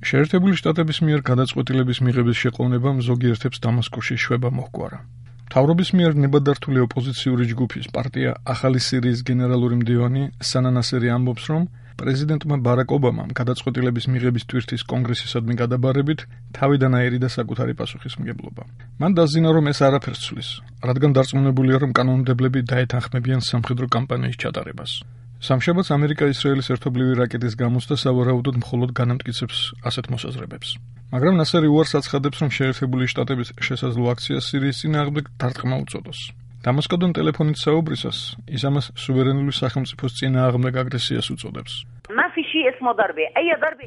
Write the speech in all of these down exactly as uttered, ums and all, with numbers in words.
შეერთებული შტატების მიერ გადაწყვეტილების მიღების შეყოვნებამ ზოგიერთებს დამასკოში შვება მოჰგვარა. მთავრობის მიერ ნებადართული ოპოზიციური ჯგუფის პარტია ახალი სირიის გენერალური მდივანი სანა ნასერი ამბობს, რომ პრეზიდენტმა ბარაკ ობამამ გადაწყვეტილების მიღების ტვირთის კონგრესისადმი გადაბარებით თავიდან აერიდა საკუთარი პასუხისმგებლობა. მან დაზინა, რომ ეს არაფერს ცვლის, რადგან დარწმუნებულია, რომ კანონმდებლები დაეთანხმებიან სამხედრო კამპანიის ჩატარებას. სამშაბათს ამერიკა-ისრაელის ერთობლივი რაკეტის გამოცდა სავარაუდოდ მხოლოდ განამტკიცებს ასეთ მოსაზრებებს. მაგრამ ნასერი უარს აცხადებს, რომ შეერთებული შტატების შესაძლო აქციას სირიის წინააღმდეგ დარტყმა უწოდოს. დამასკოდან ტელეფონით საუბრისას ის ამას სუვერენული სახელმწიფოს წინააღმდეგ აგრესიას უწოდებს.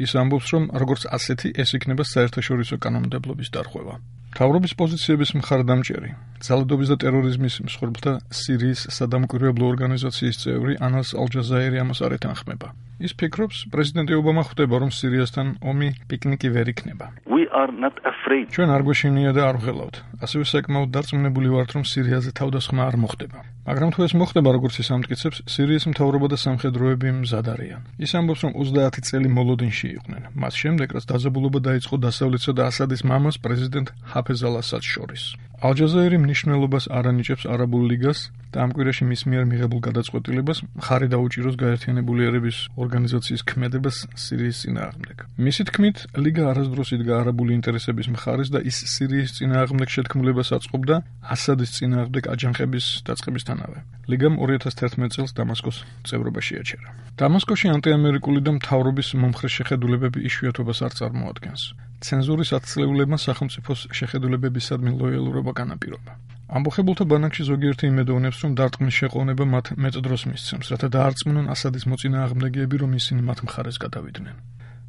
ის ამბობს, რომ როგორც ასეთი ეს იქნება საერთაშორისო კანონმდებლობის დარღვევა. მთავრობის პოზიციების მხარდამჭერი, ძალადობის და ტერორიზმის მსხვერპლთა სირიის სადამკვირვებლო ორგანიზაციის წევრი ანას ალ-ჯაზაირი ამას არ ეთანხმება. ის ფიქრობს, პრეზიდენტი ობამა ხვდება, რომ სირიასთან ომი პიკნიკი ვერ იქნება. ჩვენ არ გვეშინია და არ ვღელავთ. ასევე საკმაოდ დარწმუნებული ვართ, რომ სირიაზე თავდასხმა არ მოხდება. მაგრამ თუ ეს მოხდება, როგორც ის ამტკიცებს, სირიის მთავრობა და სამხედროები მზად არიან. ის ამბობს, რომ ოცდაათი წელი მოლოდინში იყვნენ. მას შემდეგ, რაც დაძაბულობა დაიწყო დასავლეთსა და ასადის მამას პრეზიდენტ ჰაფეზ ალ-ასადს შორის. ალ-ჯაზაირი მნიშვნელობას არ ანიჭებს არაბულ ლიგას და ამ კვირაში მის მიერ მიღებულ გადაწყვეტილებას მხარი დაუჭიროს გაერთიანებული ერების ორგანიზაციის ქმედებას სირიის წინააღმდეგ. მისი თქმით, ლიგა არასდროს იდგა არაბული ინტერესების მხარეს და ის სირიის წინააღმდეგ შეთქმულებას აწყობდა ასადის წინააღმდეგ აჯანყების დაწყებისთანავე. ლიგამ ორი ათას თერთმეტ წელს დამასკოს წევრობა შეაჩერა. დამასკოში ანტიამერიკული და მთავრობის მომხრე შეხედულებები იშვიათობას არ წარმოადგენს. ცენზურის ათწლეულებმა სახელმწიფოს შეხედულებებისადმი ლოიალურობა განაპირობა. ამბოხებულთა ბანაკში ზოგიერთი იმედოვნებს, რომ დარტყმის შეყოვნება მათ მეტ დროს მისცემს, რათა დაარწმუნონ ასადის მოწინააღმდეგეები, რომ ისინი მათ მხარეს გადავიდნენ.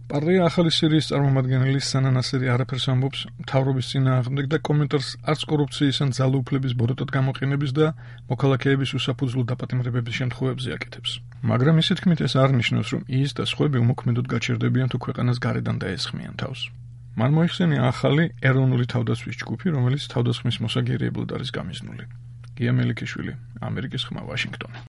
პარტია ახალი სირიის წარმომადგენელი სანა ნასერი არაფერს ამბობს მთავრობის წინააღმდეგ და კომენტარს არც კორუფციის ან ძალაუფლების ბოროტად გამოყენების და მოქალაქეების უსაფუძვლო დაპატიმრებების შემთხვევებზე აკეთებს. მაგრამ მისი თქმით ეს არ ნიშნავს, რომ ის და სხვები უმოქმედოდ გაჩერდებიან თუ ქვეყანას გარედან დაესხმიან თავს. მან მოიხსენია ახალი ეროვნული თავდაცვის ჯგუფი, რომელიც თავდასხმის მოსაგერიებლად არის გამიზნული. გია მელიქიშვილი, ამერიკის ხმა, ვაშინგტონი.